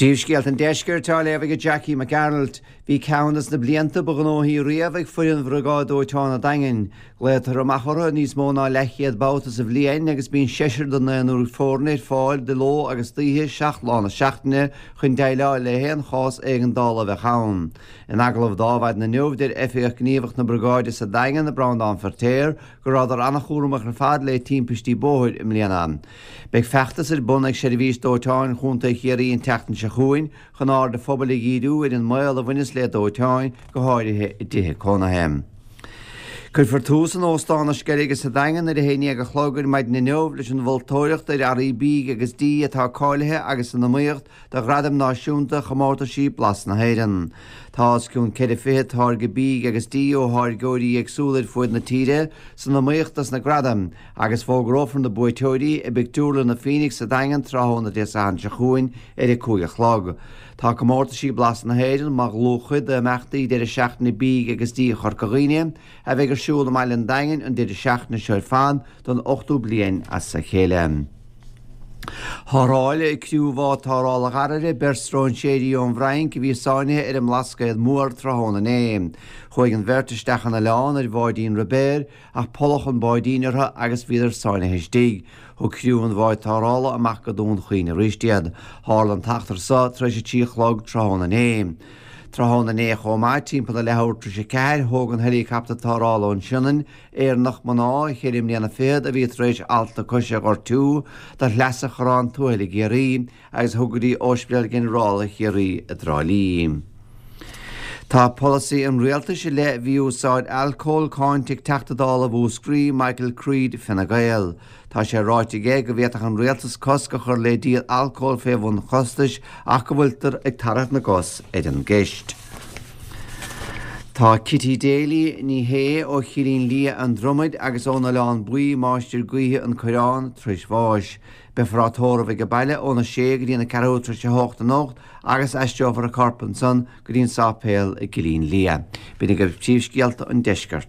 Príomhscéalta an Deiscirt á léamh ag Jackie Mac Gearailt. Bhí ceann des na blianta ba ghnóthaí riamh ag foireann Bhriogáid Dóiteáin an Daingin. Glaotar amach orthu níos mó ná leathchéad babhta sa bhliain agus bíonn seisear den naonúr foirne ar fáil de ló agus d'oíche, 7 lá na seachtaine, chun déileáil le haon chás éigeandála a bheadh ann. In agallamh do Adhmhaidin inniu, deir Oifigeach Gníomhach na Briogáide sa Daingean, Breandán Feirtéar, go rabhadar an-chúramach ar fad le timpistí bóthair i mbliana. Beidh feachtas ar bun ag Seirbhís Dóiteáin Chontae Chiarraí an tseachtain seo chugainn chun aird an phobail a dhíriú ar an mbaol a bhaineas le dóiteáin, go háirithe i dtithe cónaithe. Cuirfear tús in Óstán na Sceilge sa Daingean ar a haon dhéag a chlog ar maidin inniu leis an mholtóireacht ar earraí bídh agus dí atá cáilithe agus san iomaíocht do Ghradaim Náisiúnta Chomórtaisí Blas na hÉireann. Tá os cionn 24 táirge bídh agus dí ó tháirgeoirí éagsúla ar fuaid na tíre san iomaíocht dos na gradaim agus fógrófar na buaiteoirí i bPictiúrlann an Phoenix sa Daingean tráthnóna Dé Sathairn seo chugainn ar a 5 a chlog. Tá Comórtaisí Blas na hÉireann mar dhlúthchuid d'imeachtaí deireadh seachtaine bídh agus dí Chorca Dhuibhne a bheidh ar siúl i mbaile an Daingin an deireadh seachtaine seo ar fad don ochtú bliain as a chéile. Tharrtháil criú bhád tarrthála Dharraire beirt stróinséirí ón bhFrainc a bhí sáinnithe ar an mBlascaod Mór tráthnóna inné. Chuaigh an bheirt isteach an oileán ar bháidín ruibéir ach polladh an báidín orthu agus bhíodar sáinnithe istigh. Thug criú an bháid tarrthála amach go Dún Chaoin arís iad. Tharla an t-eachtra so tar éis a 3 a chlog tráthnóna inné. Tráthnóna inné chomh maith, timpeall a leathuair tar éis a 4, thóg an heileacaptar tarrthála ón Sionainn, Éireannach mná, cheithre mbliana fichead, a bhí tar éis alt na coise a ghortú, do Shleasa Chorrán Tuathail i gCiarraí agus a thug go dtí Ospidéal Ginearálta Chiarraí i dTrá Lí. Tá polasaí an rialtais i leith mhí-úsáid alcóil cáinte ag Teachta Dála Mhúscraí, Michael Creed, Fine Gael. Tá sé ráite aige go bhféadfadh an rialtas cosc a chur le díol alcóil fé bhun chostais ach go bhfuiltear ag tarrac na gcos ar an gceist. Tá Kitty Daly, Ní Shé, ó Chillín Liath, An Dromaid agus ón Oileán Buí, Máistir Gaoithe an Coireán, tar éis bháis. Beifear á tórramh age baile óna sé go dtí an ceathrú tar éis a hocht anocht agus aistreofar a corp ansan go dtí an sáipéal i gCillín Liath. B'in agaibh príomhscéalta an deiscirt.